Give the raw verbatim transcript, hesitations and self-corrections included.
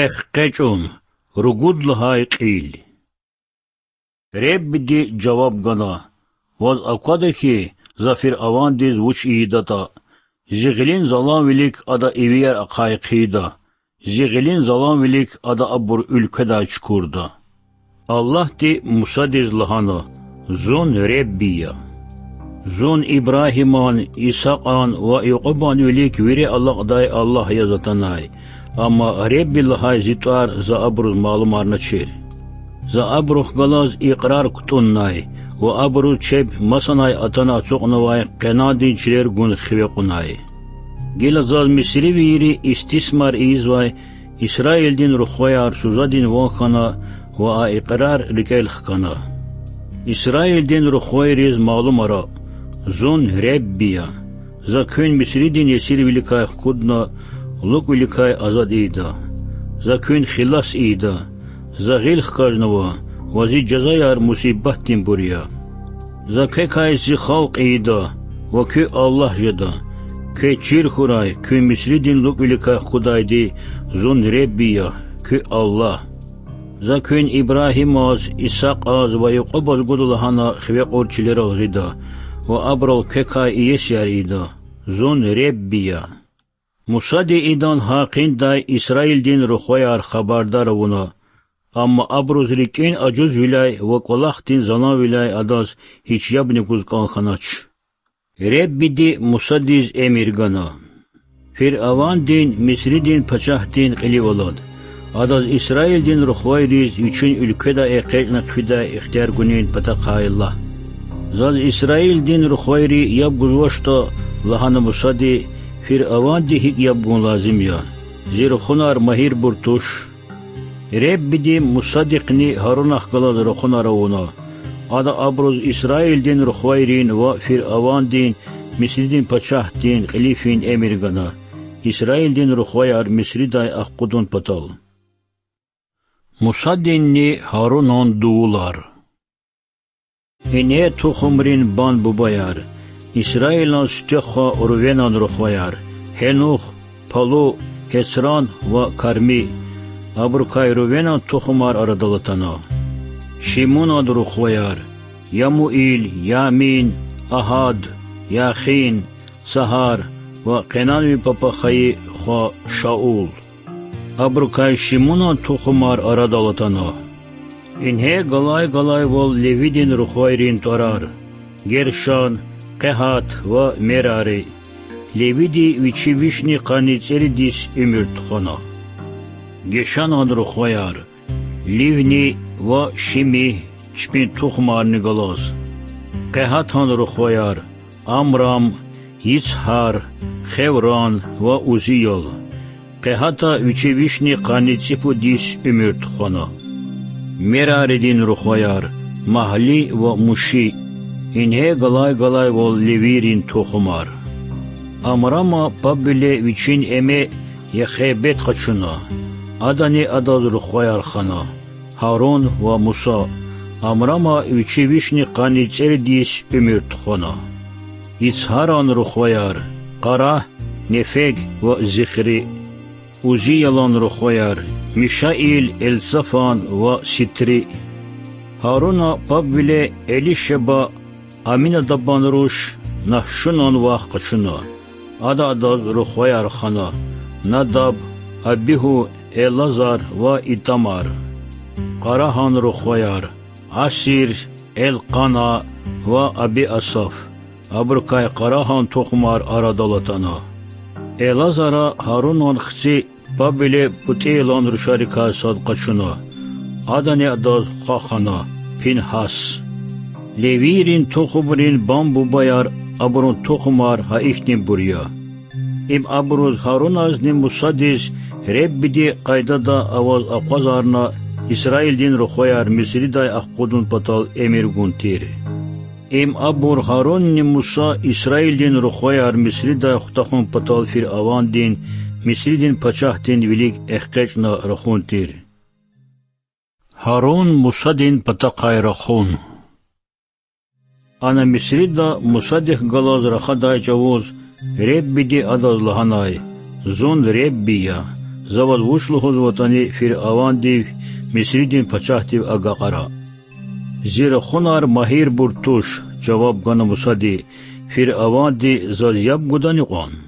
ЭхкъечӀун. Ругуд лагьай кьил. Реббиди жаваб гана: Ваз аквада хьи, за фиръавандиз вуч ийидатӀа. Зи гъилин заланвилик ада ивияр ахъай хъийида, зи гъилин заланвилик ада абур уьлкведай чукурда. Аллагьди Мусадиз лагьана: Зун Ребби я. Зун Ибрагьиман, Исакьан ва Якьубан вилик вири алакьдай Аллагь яз атанай, амма Ребби лагьай зи тӀвар за абуруз малумарначир. За абурухъ галаз икьрар кутӀуннай ва абуруз чеб масанай атана ацукьнавай Къенандин чилер гун хиве кьунай. Гила заз мисривийри истисмар ийизвай Исраилдин рухваяр сузадин ван хьана ва а икьрар рикӀел хкана. Исраилдин рухвайриз малумара: Зун Ребби я. За куьн Мисридин есирвиликай хкудна, лукӀвиликай азад ийида. За куьн хилас ийида. За гъил хкажнава ва зи жазаяр мусибатдинбур я. За квекай зи халкь ийида ва куь Аллагь жеда. Квез чир хьурай, куьн Мисридин лукӀвиликай хкудайди Зун Ребби я, куь Аллагь. За куьн Ибрагьимаз, Исакьаз ва Якьубаз гуда лагьана хиве кьур чилерал гъида ва абурал квекай иесияр ийида. Зун Ребби я. Мусади идан гьакъиндай Исраилдин рухваяр хабардар авуна, амма абуруз рикӀин ажузвиляй ва кӀвалахдин заланвиляй адаз гьич ябни гуз кӀан хьанач. Реббиди Мусадиз эмир гана: Фиръавандин, Мисридин пачагьдин кьилив алад. Адаз Исраилдин рухвайриз вичин уьлкведай экъечӀна хъфидай ихтияр гунин патахъай лагь. Заз Исраилдин рухвайри яб гузвачтӀа, лагьана Мусади, Фиръаванди гьикӀ яб гун лазим я? Зи рухунар магьирбур туш. Реббиди Мусадихъни Гьарунахъ галаз рахунар авуна. Ада абуруз Исраилдин рухвайрин ва Фиръавандин, Мисридин пачагьдин кьили фин эмир гана, Исраилдин рухваяр Мисридай ахкъудун патал. Мусадинни Гьарунан дувулар. Ингье тухумрин бан-бубаяр: Исраилан сифте хва Рувенан рухваяр: Гьенух, Палу, Гьецран ва Карми. Абурукай Рувенан тухумар арадал атана. Шимунан рухваяр: Ямуил, Ямин, Агьад, Яхин, Цагьар ва Къенанвин папа хайи хва Шаул. Абурукай Шимунан тухумар арадал атана. Ингье галай-галайвал Левидин рухвайрин тӀварар: Гершон, Къегьат ва Мерари. Левиди вичи вишни къанни цӀерид йис уьмуьр тухвана. Гешонан рухваяр: Ливни ва Шими, чпин тухумарни галаз. Къегьатан рухваяр: Амрам, Йицгьар, Хевран ва Узиял. Къегьата вичи вишни къанни цӀипуд йис уьмуьр тухвана. Мераридин рухваяр: Магьли ва Муши. Ингье галай-галайвал левийрин тухумар. Амрама пабвиле вичин эме Йохебед къачуна. Адани адаз рухваяр хана: Гьарун ва Муса. Амрама вичи вишни къанни цӀерид йис уьмуьр тухвана. Йицгьаран рухваяр: Къарагь, Нефег ва Зихри. Узиялан рухваяр: Мишаил, Элцафан ва Ситри. Гьаруна пабвиле Элишеба, Аминадабан руш, Нагьшунан вах къачуна. Ада адаз рухваяр хана: Надаб, Абигьу, Элазар ва Итамар. Къарагьан рухваяр: Асир, Элкъана ва Абиасаф. Абурукай Къарагьан тухумар арадал атана. Элазара Гьарунан хци пабвиле ПутӀейлан рушарикай сад къачуна. Адани адаз хва хана: Пингьас. Левийрин тухумрин бан-бубаяр, абурун тухумар гьа ихьтинбур я. Им абуруз Гьаруназни Мусадиз Реббиди къайдада аваз акъвазарна Исраилдин рухваяр Мисридай ахкъудун патал эмир гун тир. Им абур Гьарунни Муса Исраилдин рухваяр Мисридай хутахун патал фиръавандин, Мисридин пачагьдин вилик эхкечӀна рахун тир. Гьарун Мусадин патахъай рахун. Ана Мисрида Мусадихъ галаз рахадай чӀавуз Реббиди адаз лагьанай: Зун Ребби я. За ваз вуч лугьузватӀани фиръавандив, Мисридин пачагьдив агакьара. Зи рахунар магьирбур туш,– жаваб гана Мусади. Фиръаванди заз яб гудани кьван?